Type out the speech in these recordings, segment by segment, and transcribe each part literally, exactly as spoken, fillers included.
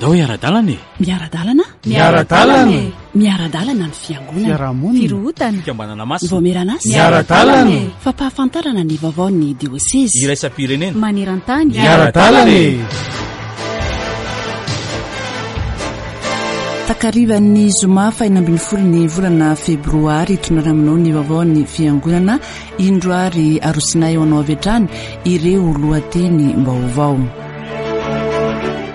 Ndao hiara-dalana e! Miara-dalana? Miara-dalana e! Miara-dalana ny fiangonana. Fiarahamonina. Firohotana. Fikambanana masina. Vaomieran'asa. Miara-dalana e! Fampahafantarana ny vaovaon'ny diosezy. Iraisam-pirenena. Maneran-tany. Miara-dalana e! Takarivan'ny zoma fahenina ambin'ny folo ny volana febroary hitondrana aminao ny vaovaon'ny fiangonana indro ary arosinay eo anao avy hatrany ireo lohateny vaovao.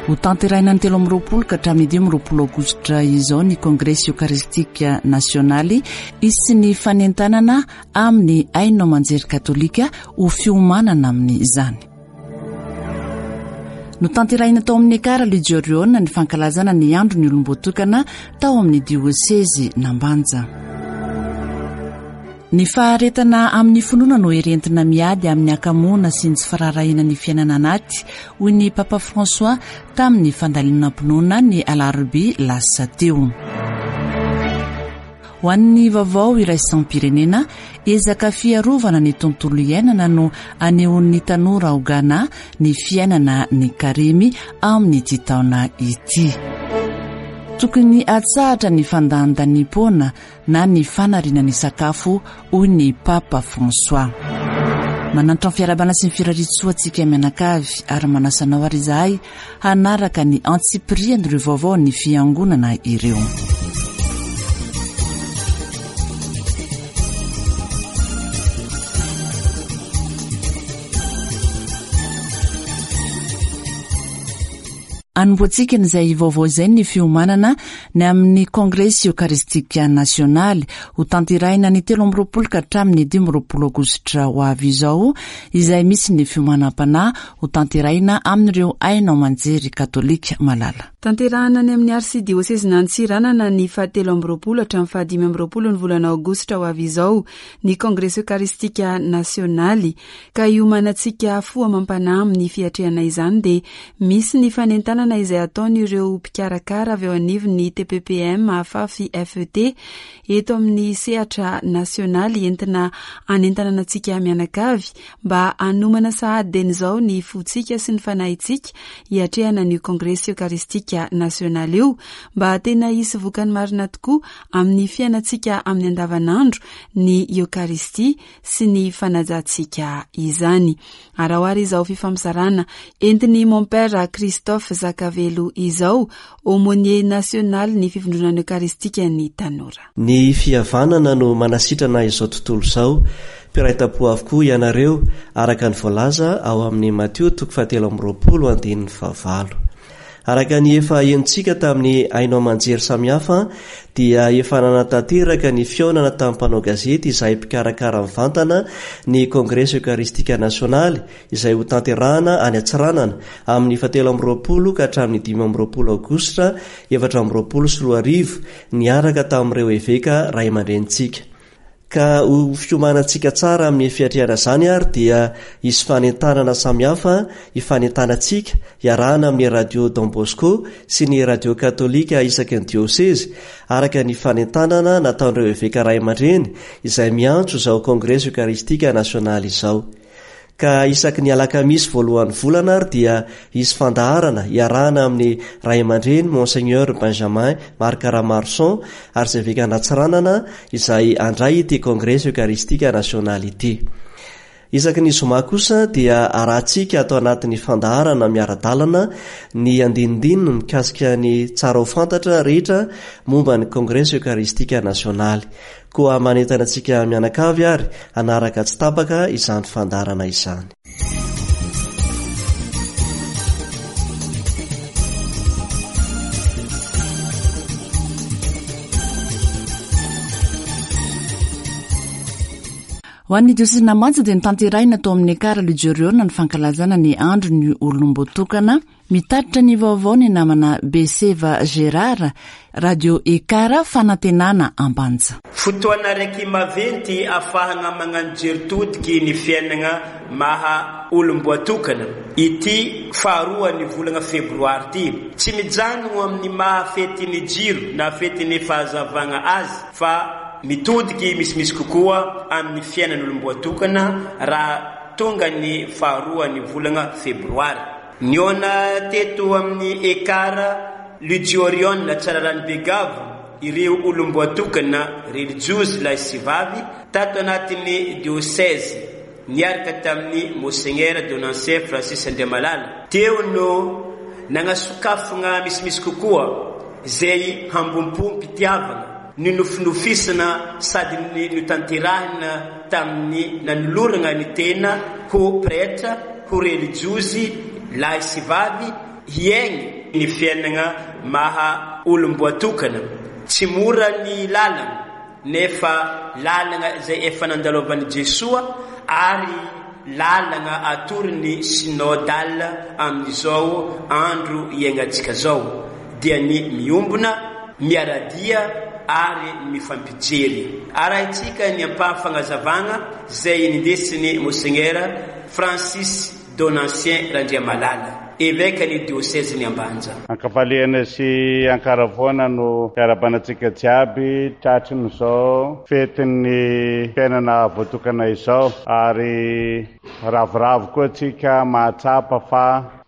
Ho tanterahina ny telo amby roapolo ka hatramin'ny dimy amby roapolo aogositra izao ny kongresy eokaristika nasionaly hisy ny fanentanana amin'ny haino aman-jery katolika ho fiomanana amin'izany. Notanterahina tao amin'ny Ekara Ligioriona ny fankalazana ny andro ny olom-boatokana tao amin'ny diosezy Nambanja. Ny faharetana amin'ny finoana no hery entina miady amin'ny hakamoana sy ny tsy firaharahiana ny fiainana anaty, hoy ny Papa François tamin'ny fandalinam-pinoana ny alarobia lasa teo. Ho an'ny vaovao iraisam-pirenena, ezaka fiarovana ny tontolo iainana no anehoan'ny tanora ao Ghana ny fiainana ny karemy amin'ity taona ity. Tokony atsahatra ny fandanindaniam-poana na ny fanariana ny sakafo, hoy ny Papa François. Manantitra ny fiarahabana sy ny firariantsoa antsika mianakavy ary manasa anao ary izahay hanaraka ny antsipirian'ireo vaovao ny fiangonana ireo. Anombohantsika izay vaovao izay ny fiomanana ny amin'ny kongresy eokaristika nasionaly ho tanterahina ny telo amby roapolo ka hatramin'ny dimy amby roapolo aogositra ho avy izao, izay misy ny fiomanam-panahy ho tanterahina amin'ireo haino aman-jery katolika malala. Tanterahina any amin'ny arsidiosezin'Antsiranana ny fahatelo amby roapolo hatramin'ny fahadimy amby roapolo ny volana aogositra ho avy izao ny kongresy eokaristika nasionaly, ka hiomanantsika fo amam-panahy amin'ny fiatrehana izany dia misy ny fanentanana izay ataon'ireo mpikarakara avy eo anivon'ny T P P M Afafy F E T eto amin'ny sehatra nasionaly entina hanentanana antsika mianakavy mba hanomana sahady dieny izao ny fontsika sy ny fanahintsika hiatrehana ny kongresy eokaristika nasionaly io, mba tena hisy vokany marina tokoa amin'ny fiainantsika amin'ny andavanandro ny eokaristia sy ny fanajantsika izany. Araho ary izao fifampizarana entin'ny mon père Christophe Zakavelo izao, aumônier national ny fivondronana eokaristika ny tanora. Ny fihavanana no manasitrana izao tontolo izao. Mpiray tampo avokoa ianareo, araka ny voalaza ao amin'ny Matio toko fahatelo amby roapolo andininy fahavalo. Araka ny efa henontsika tamin'ny haino aman-jery samihafa dia efa nanatanteraka ny fihaonana tamin'ny mpanao gazety izay mpikarakara mivantana ny kongresy eokaristika nasionaly izay ho tanterahana any Antsiranana amin'ny fahatelo amby roapolo ka hatramin'ny dimy amby roapolo aogositra efatra amby roapolo sy roa arivo niaraka tamin'ireo eveka ray aman-drenintsika. Ka ho fiomanantsika tsara amin'ny fiatrehana izany ary dia hisy fanentanana samihafa hifanentanantsika hiarahana amin'ny radio Don Bosco sy ny radio katolika isaky ny diosezy araka ny fanentanana nataon'ireo eveka ray aman-dreny izay miantso izao kongresy eokaristika nasionaly izao. Ka isaky ny alakamisy voalohan'ny volana ary dia hisy fandaharana hiarahana amin'ny ray aman-dreny Monseigneur Benjamin Marc Ramarson arseveka an'Antsiranana izay handray ity kongresy eokaristika nasionaly ity. Isaky ny zoma kosa dia arahantsika atao anatin'ny fandaharana miara-dalana ny andinindininy mikasika ny tsara ho fantatra rehetra momba ny kongresy eokaristika nasionaly. Koa manentana antsika mianakavy ary hanaraka tsy tapaka izany fandaharana izany. Ho an'ny diosezina Manja dia notanterahina tao amin'ny Ekara Ligioriona ny fankalazana ny andro ny olom-boatokana. Mitatitra ny vaovao ny namana Beseva Gérard, Radio Ekara Fanantenana Ambanja. Fotoana raiky maventy ahafahana magnano jery todiky ny fiainana maha olom-boatokana. Ity faharoa ny volana febroary ity. Tsy mijanona amin'ny maha fety ny jiro na fety ny fahazavana azy fa mitodiky misimisy kokoa amin'ny fiainan'olom-boatokana raha tonga ny faharoa ny volana febroary. Nihaona teto amin'ny Ekara Ludiorion Tsararano Begavo ireo olom-boatokana relijiozy lahy sy vavy tato anatin'ny diocèse niaraka tamin'ny Monseigneur Donancien Francis Andriamalala. Teo no nagnasokafagna misimisy kokoa izay hambom-pom-pitiavana ny nofinofisana sady ny notanterahina tamin'ny nanolorana ny tena ho pretra, ho relijiozy lahy sy vavy hiaigny ny fiainana maha olom-boatokana. Tsy mora ny lalana nefa lalana izay efa nandalovan'i Jesoa ary lalana atorony synodal amin'izao andro iainantsika zao, dia ny miombona, miaradia ary mifampijery. Arahintsika ny ampahafagnazavagna izay nindesiny Monseigneur Francis Donancien Randriamalala, évêque ny diocèse ny Ambanja. Ankafaliana sy ankaravoana no fiarahabanantsika jiaby tratrin'izao fetin'ny fiainana voatokana izao, ary ravoravo koa antsika mahatsapa fa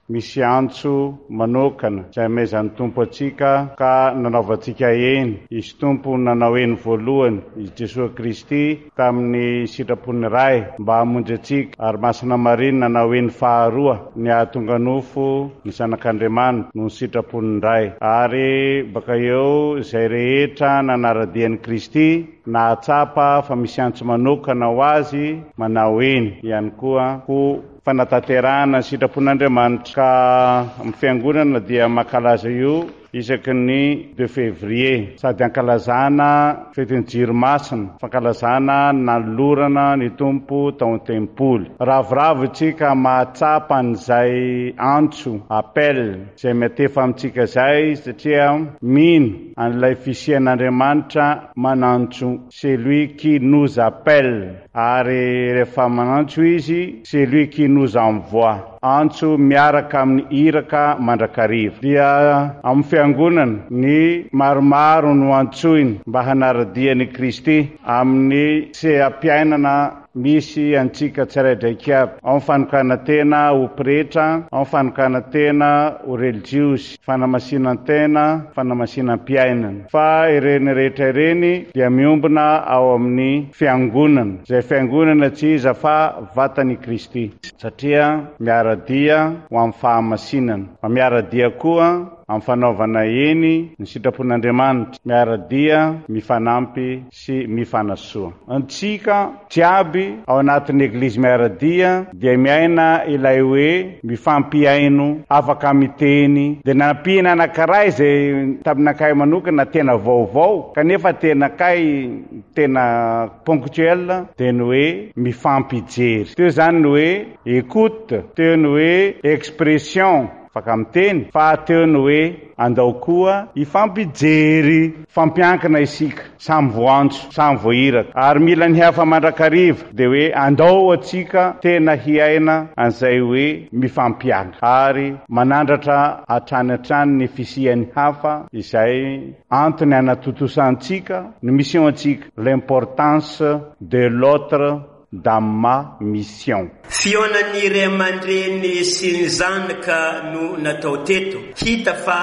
misy antso manokana izay amezan'ny Tompo antsika ka nanaovantsika eny. Izy Tompo nanao eny voalohany, izy Jesoa Kristy tamin'ny sitrapon'ny Ray mba hamonjy antsika, ary Masina Maria nanao eny faharoa ny hahatonga nofo ny Zanak'Andriamanitra noho ny sitrapon'ny Ray. Ary baka eo izay rehetra nanara-dia an'i Kristy nahatsapa fa misy antso manokana ho azy manao eny ihany koa ho fanatanterahana ny sitrapon'Andriamanitra. Ka amin'ny fiangonana dia mankalaza io isaky ny deux février, sady ankalazana fetin'ny jiro masina, fankalazana nanolorana ny Tompo tao an-tempoly. Ravoravo isika mahatsapa an'izay antso, appel izay miatefa amintsika izay, satria mino an'ilay fisian'Andriamanitra manantso, c'est lui qui nous appelle, ary rehefa manantso izy, c'est lui qui nous envoie. Antso miaraka amin'ny iraka mandrakariva. Dia amin'ny fiangonana ny maromaro no antsoiny mba hanara-dia an'i Kristy amin'ny seha-piainana misy antsika tsiraidraiky aby. Ao amin'ny fanokanan-tena ho pretra, ao amin'ny fanokanan-tena ho relijiozy, fanamasinan-tena, fanamasinam-piainana. Fa ireny rehetra ireny dia miombona ao amin'ny fiangonana, izay fiangonana tsy iza fa vatan'i Kristy, satria miara-dia ho amin'ny fahamasinana, fa miara-dia koa amin'ny fanaovana eny ny sitrapon'Andriamanitra, miara-dia mifanampy sy mifanasoa. Antsika jiaby ao anatin'ny eglizy miara-dia dia miaina ilay hoe mifampihaino, afaka miteny. Dia nampiana anankiray izay taminakay manokana tena vaovao kanefa tena kay tena ponctuel, dia ny hoe mifampijery. Teo izany ny hoe écoute, teo ny hoe expression, afaka miteny, fa teo ny hoe andao koa hifampijery. Fampiankina isika, samy voantso, samy voahiraka, ary mila ny hafa mandrakariva. Dia hoe andao antsika tena hiaina an'izay hoe mifampiankina, ary manandratra hatrany hatrany ny fisian'ny hafa izay antony anatotosantsika ny mission antsika, l'importance de l'autre dans ma mission. Fihaonan'ny ray aman-dreny sy ny zanaka no natao teto. Hita fa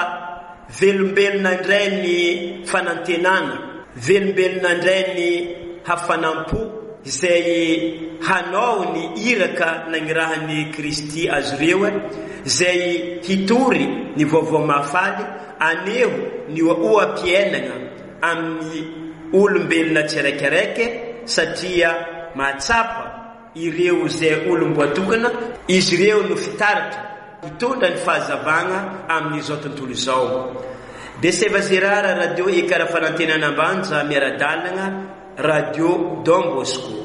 velombelona indray ny fanantenana, velombelona indray ny hafanam-po izay hanao ny iraka nagnirahan'i Kristy azy ireo, izay hitory ny vaovao mahafaly, aneho ny oha-piainana amin'ny olombelona tsiraikiraiky, satria mahatsapa ireo izay olom-boatokana, izy ireo no fitaratra hitondra ny fahazavana amin'izao tontolo izao. Beseva Zerara, Radio Ekara Fanantenana Ambanja, miara-dalana, Radio Don Bosco.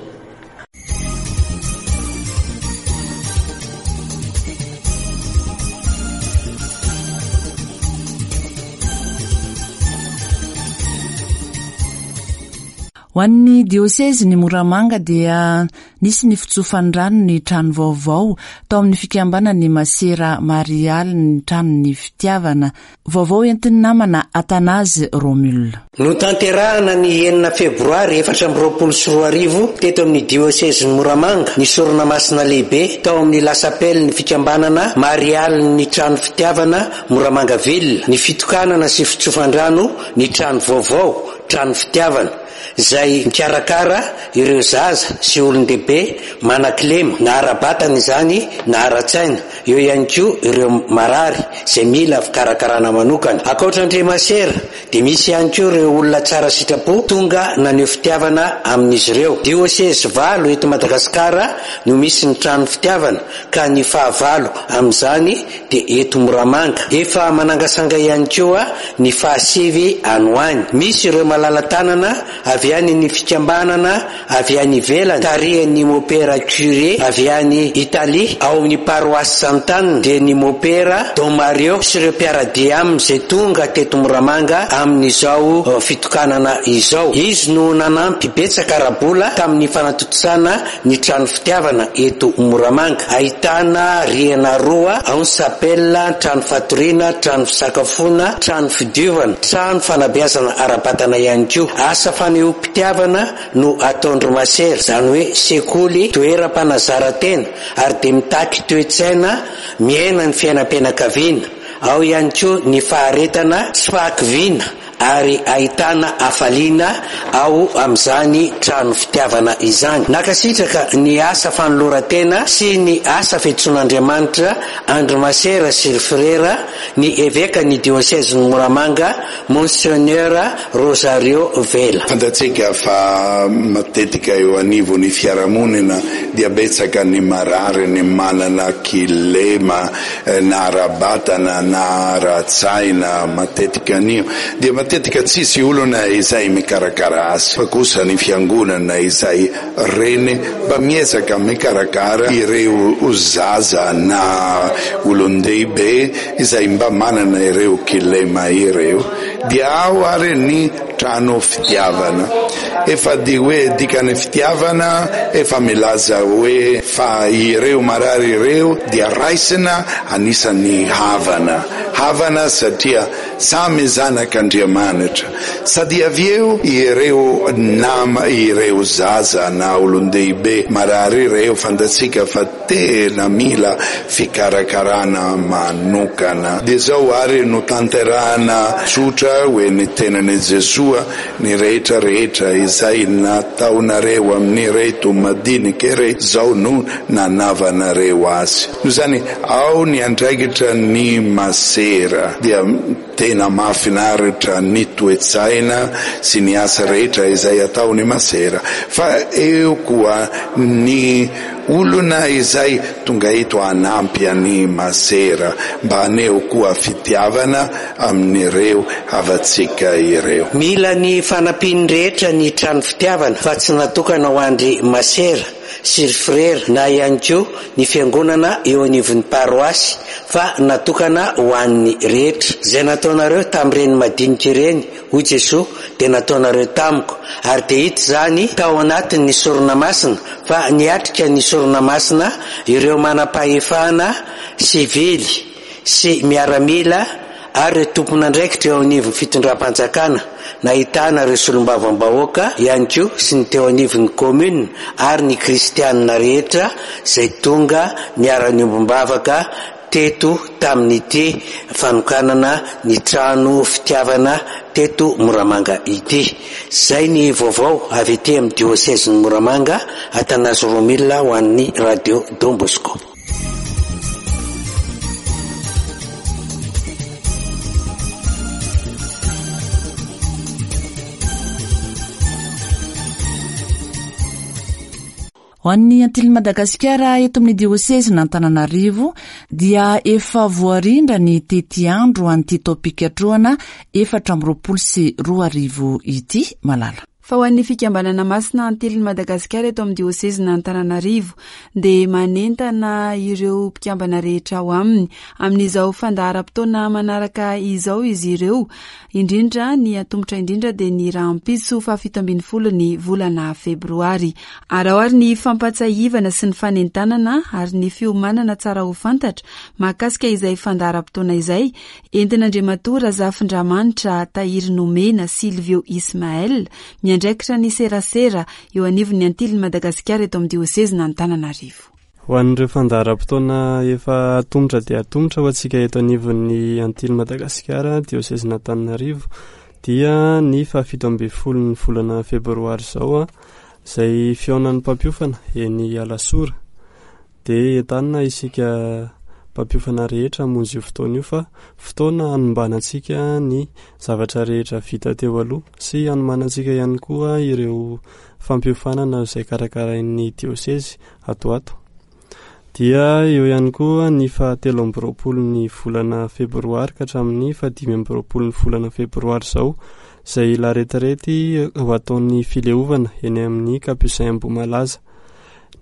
Ho Ho an'ny diosezy ny Moramanga dia nisy ny fitsofan-drano ny trano vaovao tao amin'ny fikambanan'ny Masera Marialy ny tranon'ny fitiavana. Vaovao entin'ny namana Atanazy Romule. Notanterahana ny enina febroary efatra amby roapolo sy roa arivo teto amin'ny diosezin'i Moramanga ny sorona masina lehibe tao amin'ny lasapely ny fikambanana Marialy ny trano fitiavana Moramanga Ville, ny fitokanana sy fitsofan-drano ny trano vaovao trano fitiavana izay mikarakara ireo zaza sy olon-dehibe manan-kilema na ara-batana izany na ara-tsaina, eo ihany koa ireo marary izay mila fikarakarana manokana. Ankoatra an-dry masera dia misy ihany koa ireo olona tsara sitrapo tonga naneho fitiavana amin'izy ireo. Diosezy valo eto Madagasikara no misy ny trano fitiavana ka ny fahavalo amin'izany dia eto Moramanga. Efa manangasanga ihany koa ny fahasivy any ho any. Misy ireo malala-tanana avy any ny fikambanana avy any ivelany tarihan'ny mopera curé avy any Italie ao amin'ny paroisse Sant'Anne dia ny mopera Don Mario sy ireo mpiara-dia aminy izay tonga teto Moramanga amin'izao fitokanana izao. Izy no nanampy betsaka ara-bola tamin'ny fanatontosana ny trano fitiavana eto Moramanga. Ahitana rihana roa ao ny sapela, trano fatoriana, trano fisakafoana, trano fidiovana, trano fanabeazana ara-batana ihany koa. Asa fanehoam-pitiavana no ataon-dry masera, izany hoe sekoly toeram-panazaran-tena ary dia mitaky toe-tsaina miaina ny fiainam-pianakaviana. Ao ihany koa ny faharetana sy fahakiviana ary ahitana hafaliana ao amin'izany trano fitiavana izany. Nankasitraka ny asa fanoloran-tena sy ny asa fiantsoan'Andriamanitra andry masera sy ry frera ny eveka ny diosezin'i Moramanga Monseigneur Rosario Vela. Fantatsika fa matetika eo anivon'ny fiarahamonina dia betsaka ny marary, ny manana kilema na ara-batana na ara-tsaina matetika anio. Dia matetika tsisy olona izay mikarakara azy, fa kosa ny fiangonana izay reny mba miezaka mikarakara ireo zaza na olon-dehibe izay mba manana ireo kilema ireo. Dia ao ary ny trano fitiavana. Efa di hoe dikany fitiavana efa milaza hoe fa ireo marary ireo dia raisina anisan'ny havana. Havana satria samy zanak'Andriamanitra. Sady avy eo ireo nama, ireo zaza na olon-dehibe marary ireo fantatsika fa tena mila fikarakarana manokana. Dia zao ary no tanterahana tsotra hoe ny tenan'i Jesoa ny rehetra rehetra izay nataonareo amin'ireto madinika ireto zao no nanavanareo azy. Noho izany ao ny andraikitra ny masera dia tena mahafinaritra ny toe-tsaina sy ny asa rehetra izay ataon'ny masera, fa eo koa ny olona izay tonga eto hanampy an'ny masera mba haneho koa fitiavana amin'ireo havantsika ireo. Mila ny fanampian'ny rehetra ny trano fitiavana fa tsy natokana ho andry masera sy ry frera na ihany koa ny fiangonana eo anivon'ny paroasy fa natokana ho an'ny rehetra. Izay nataonareo tamin'ireny madinika ireny, hoy Jesoa, dia nataonareo tamiko. Ary dia hita izany tao anatin'ny sorona masina fa niatrika ny sorona masina ireo manam-pahefana sivily sy miaramila ary ireo tompon'andraikitra eo anivon'ny fitondram-panjakana, nahitana ireo solombavambahoaka ihany koa sy ny teo anivon'ny commune ary ny kristianina rehetra izay tonga niara-niombom-bavaka teto tamin'ity fanokanana ny trano fitiavana teto Moramanga ity. Izay ny vaovao avy ety amin'ny diosezin'i Moramanga, Atanazy Romila ho an'ny Radio Don Bosco. Ho an'ny Antily Madagasikara eto amin'ny diosezin'Antananarivo dia efa voarindra ny tetiandro an'ity taom-pikatrohana efatra amby roapolo sy roa arivo ity. Malala. Fa ho an'ny fikambanana masina Antilin'i Madagasikara eto amin'ny diosezin'Antananarivo dia manentana ireo mpikambana rehetra ao aminy amin'izao fandaharam-potoana manaraka izao izy ireo, indrindra ny atomotra indrindra dia ny rahampitso fahafito ambin'ny folo ny volana febroary. Ary ao ary ny fampahatsiahivana sy ny fanentanana ary ny fiomanana tsara ho fantatra mahakasika izay fandaharam-potoana izay entin'Andriamatoa Razafindramanitra Tahiry Nomena Silvio Ismael miandraikitra ny serasera eo anivon'ny Antilin'i Madagasikara eto amin'ny diosezin'Antananarivo. Ho an'ireo fandaharam-potoana efa atomotra dia atomotra ho antsika eto anivon'ny Antilin'i Madagasikara diosezin'Antananarivo dia ny fahafito ambin'ny folo ny volana febroary izao, izay fihaonan'ny mpampiofana eny Alasora. Dia entanina isika mpampiofana rehetra hamonjy io fotoana io fa fotoana hanombanantsika ny zavatra rehetra vita teo aloha sy hanomanantsika ihany koa ireo fampiofanana izay karakarain'ny diosezy ato ato. Dia eo ihany koa ny fahatelo amby roapolo ny volana febroary ka hatramin'ny fahadimy amby roapolo ny volana febroary izao, izay laretirety ho ataon'ny fileovana eny amin'ny Capucin Ambohimalaza.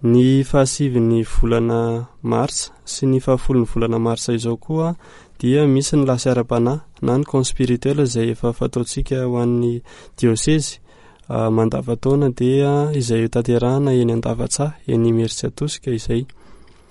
Ny fahasivy ny volana marsa sy ny fahafolo ny volana marsa izao koa dia misy ny lasy ara-panahy na ny camp spirituel izay efa fataontsika ho an'ny diosezy mandavataona dia izay hotanterahana eny Andavatsaha eny Imerintsiatosika izay.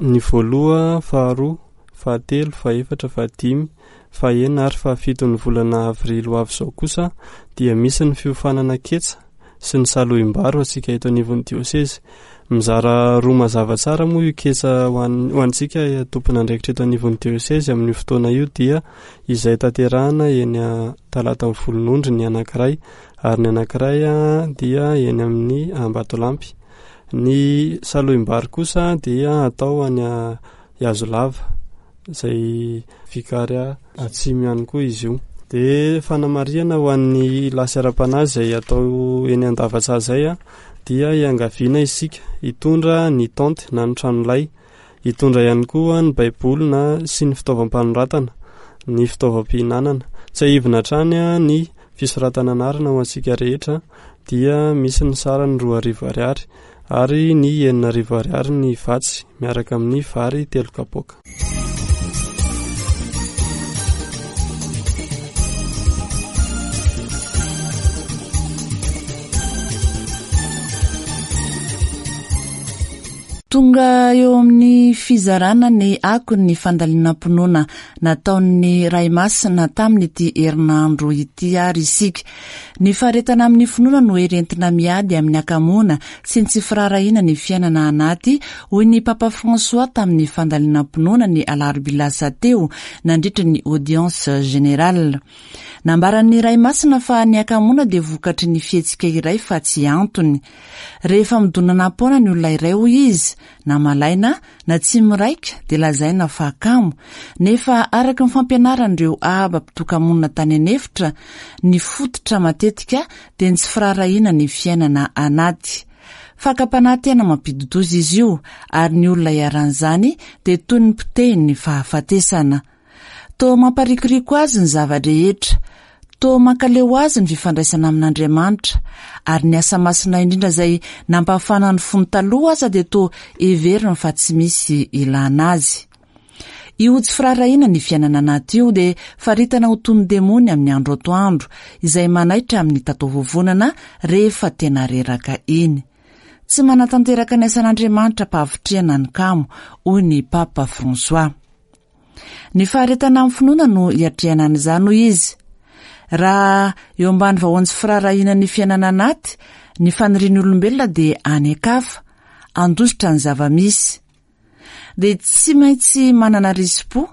Ny voaloha, faharoa, fahatelo, fahefatra, fahadimy, fahenina ary fahafito ny volana avrily ho avy izao kosa dia misy ny fiofanana ketsa sy ny salohim-bary ho antsika eto anivon'ny diosezy. Mizara roa mazava tsara moa io ketsa ho an-, ho antsika tompon'andraikitra eto anivon'ny diosezy amin'io fotoana io dia izay tanterahana eny Talata Volonondry ny anankiray ary ny anankiray dia eny amin'ny Ambatolampy. Ny salohim-bary kosa dia atao any Ihazolava izay vikaria atsimo ihany koa izy io. Dia fanamarihana ho an'ny lasy ara-panahy izay atao eny Andavatsaha izay dia iangaviana isika hitondra ny tente na ny tranolay, hitondra ihany koa ny baiboly na sy ny fitaovam-panoratana, ny fitaovam-pihinanana. Tsiahivina hatrany ny fisoratana anarana ho antsika rehetra dia misy ny sarany roa arivo ariary ary ny enina arivo ariary ny vatsy miaraka amin'ny vary telo kapoaka. Tonga eo amin'ny fizarana ny akon'ny fandalinam-pinoana nataon'ny Ray Masina tamin'ity herinandro ity ary isika. Ny faharetana amin'ny finoana no hery entina miady amin'ny hakamoana sy ny tsy firaharahiana ny fiainana anaty, hoy ny Papa François tamin'ny fandalinam-pinoana ny alarobia lasa teo nandritra ny audience générale. Nambaran'ny Ray Masina fa ny hakamoana dia vokatry ny fihetsika iray fa tsy antony. Rehefa midonana-poana ny olona iray, hoy izy, na malaina na tsy miraika dia lazaina fa kamo, nefa araka ny fampianaran'ireo aba mpitokamonina tany an'efitra, ny fototra matetika dia ny tsy firaharahiana ny fiainana anaty. Fakam-panahy tena mampidi-doza izy io ary ny olona iharan'izany dia toy ny potehin'ny fahafatesana. Toa mamparikoriko azy ny zava-drehetra, toa mankaleo azy ny fifandraisana amin'Andriamanitra, ary ny asa masina indrindra izay nampahafana ny fony taloha aza dia toa heveriny fa tsy misy ilana azy. Io tsy firaharahiana ny fiainana anaty io dia faritana ho toy ny demony amin'ny andro atoandro, izay manaitra amin'ny tataovovonana rehefa tena reraka iny. Tsy manatanteraka ny asan'Andriamanitra mpahavitrihana ny kamo, hoy ny Papa François. Ny faharetana amin'ny finoana no hiatrehana an'izany, hoy izy. Raha eo ambany vahoan'ny tsy firaharahiana ny fiainana anaty, ny fanirian'ny olombelona dia any an-kafa, handositra ny zava-misy. Dia tsy maintsy manana risi-po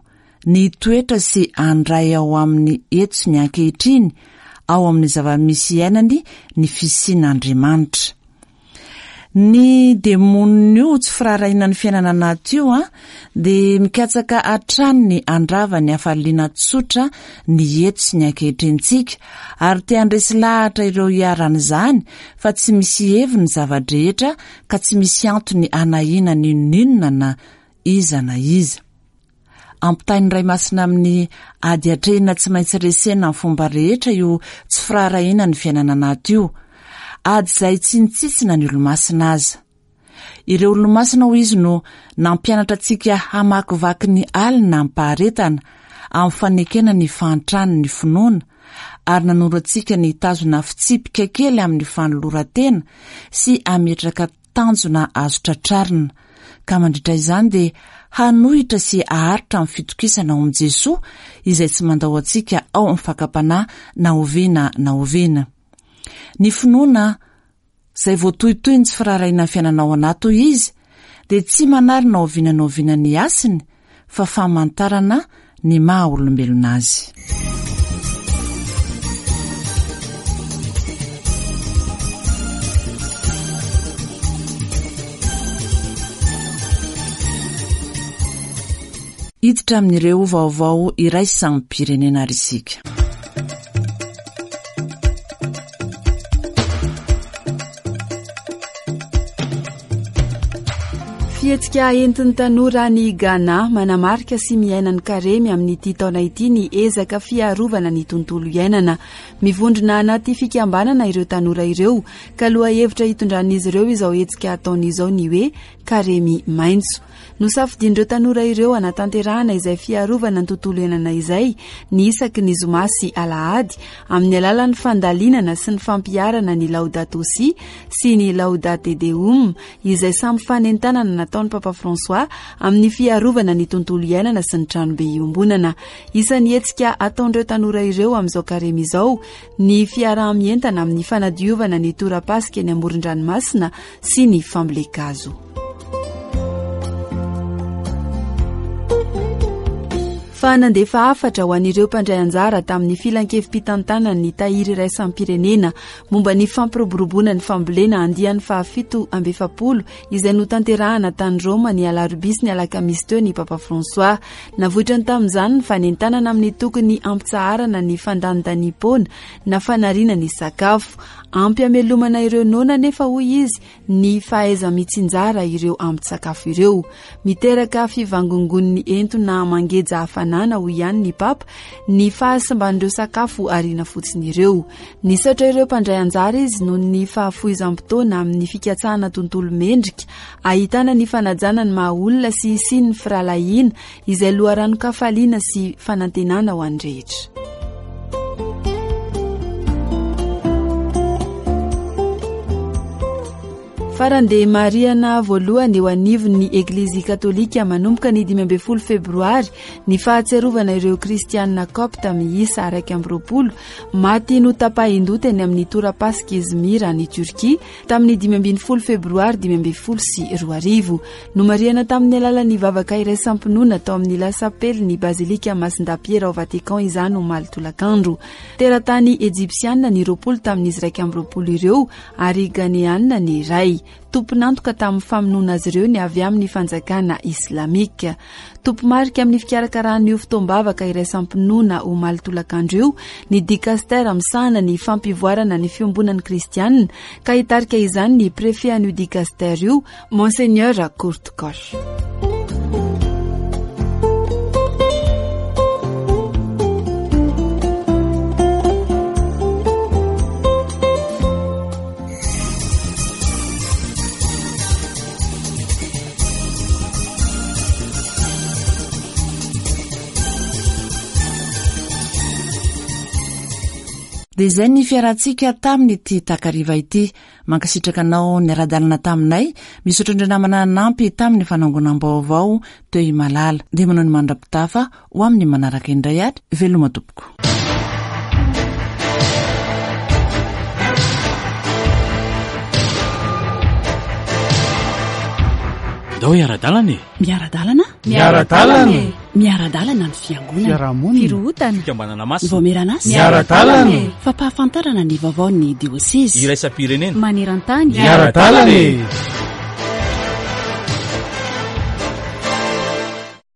ny toetra sy handray ao amin'ny eto sy ny ankehitriny, ao amin'ny zava-misy iainany ny fisian'Andriamanitra. Ny demonin'io tsy firaharahiana ny fiainana anaty io a dia mikatsaka hatrany ny handrava ny hafaliana tsotra ny eto sy ny ankehitrintsika, ary te handresy lahatra ireo iharan'izany fa tsy misy heviny ny zava-drehetra ka tsy misy antony hanahiana n'inon'inona na iza na iza. Ampitain'ny Ray Masina amin'ny ady atrehina tsy maintsy resena amin'ny fomba rehetra io tsy firaharahiana ny fiainana anaty io. ady izay tsy nitsitsina ny olomasina aza. Ireo olomasina hoy izy no nampianatra antsika hamakivaky ny alina amim-paharetana amin'ny fanekena ny fahantrany ny finoana, ary nanoro antsika ny hitazona fitsipika kely amin'ny fanoloran-tena sy hametraka tanjona azo tratrarina, ka mandritra izany dia hanohitra sy haharitra amin'ny fitokisana ao amin'i Jesoa izay tsy mandao antsika ao amin'ny fakam-panahy na oviana na oviana. Ny finoana izay voatohitohy ny tsy firaharahiana ny fiainana ao anaty hoy izy dia tsy manary na oviana na oviana ny hasiny fa famantarana ny maha olombelona azy. Hiditra amin'ireo vaovao iraisam-pirenena ary isika. Fihetsika entin'ny tanora any Ghana manamarika sy miaina ny karemy amin'ity taona ity ny ezaka fiarovana ny tontolo iainana. Mivondrona anaty fikambanana ireo tanora ireo ka lohahevitra hitondran'izy ireo izao hetsika ataony izao ny hoe karemy maitso. Nosafidian'ireo tanora ireo hanatanterahana izay fiarovana ny tontolo iainana izay ny isaky ny zoma sy alahady amin'ny alalan'ny fandalinana sy ny fampiharana ny Laudato Si sy ny Laudate Deum izay samy fanentanana nataon'ny Papa François amin'ny fiarovana ny tontolo iainana sy ny tranobe iombonana. Isan'ny hetsika ataon'ireo tanora ireo amin'izao karemy izao ny fiaraha-mientana amin'ny fanadiovana ny torapasika eny amoron-dranomasina sy ny fambolen-kazo. Fa nandefa hafatra ho an'ireo mpandray anjara tamin'ny filankevi-pitantanan'ny tahiry iraisam-pirenena momba ny fampiroboroboana ny fambolena andiany fahafito amby efapolo izay notanterahana tany Roma ny alarobia sy ny alakamisy teo ny Papa François. Navoitrany tamin'izany ny fanentanana amin'ny tokony hampitsaharana ny fandanindaniam-poana na fanariana ny sakafo. Ampy hamelomana ireo noana nefa hoy izy ny fahaiza-mitsinjara ireo ambin-tsakafo ireo. Miteraka fivangongon'ny entona mangeja hafanana hoy ihany ny Papa ny fahasimban'ireo sakafo ariana fotsiny ireo. Nisaotra ireo mpandray anjara izy noho ny fahafoizam-potoana amin'ny fikatsahana tontolo mendrika ahitana ny fanajana ny maha olona sy hisian'ny firahalahiana izay loharanon-kafaliana sy fanantenana ho an'ny rehetra. Farany dia marihana voalohany eo anivon'ny Eglizy Katolika manomboka ny dimy ambin'ny folo febroary ny fahatsiarovana ireo kristianina kopta miisa iraika amby roapolo maty notapahin-doha teny amin'ny torapasika Izmir any Turquie tamin'ny dimy ambin'ny folo febroary dimy ambin'ny folo sy roa arivo. Nomarihana tamin'ny alalan'ny vavaka iraisam-pinoana tao amin'ny lasapely ny Bazilika Masindahy-Piera ao Vatican izany omaly tolakandro. Teratany ejipsianina ny roapolo tamin'izy iraika amby roapolo ireo ary ganeanina ny iray. Tompon'antoka tamin'ny famonoana azy ireo ny avy amin'ny fanjakana islamika. Tompomarika amin'ny fikarakarana io fotoam-bavaka iraisam-pinoana omaly tolakandro io ny dikastera misahana ny fampivoarana ny fiombonan'ny kristianina ka hitarika izany ny préfet an'io dikastera io, Monseigneur Kurt Koch. Dia izay ny fiarantsika tamin'ity takariva ity. Mankasitraka anao niara-dalana taminay. Misaotra indrindra namana nanampy tamin'ny fanangonam-baovao teo Imalala. Dia manao ny mandra-pitafa ho amin'ny manaraka indray ary veloma tompoko. Ndao hiara-dalana e. Miara-dalana? Miara-dalana e. Miara-dalana ny fiangonana. Fiarahamonina. Firohotana. Fikambanana masina. Vaomieran'asa. Miara-dalana e. Fampahafantarana ny vaovaon'ny diosezy. Iraisam-pirenena. Maneran-tany. Miara-dalana e.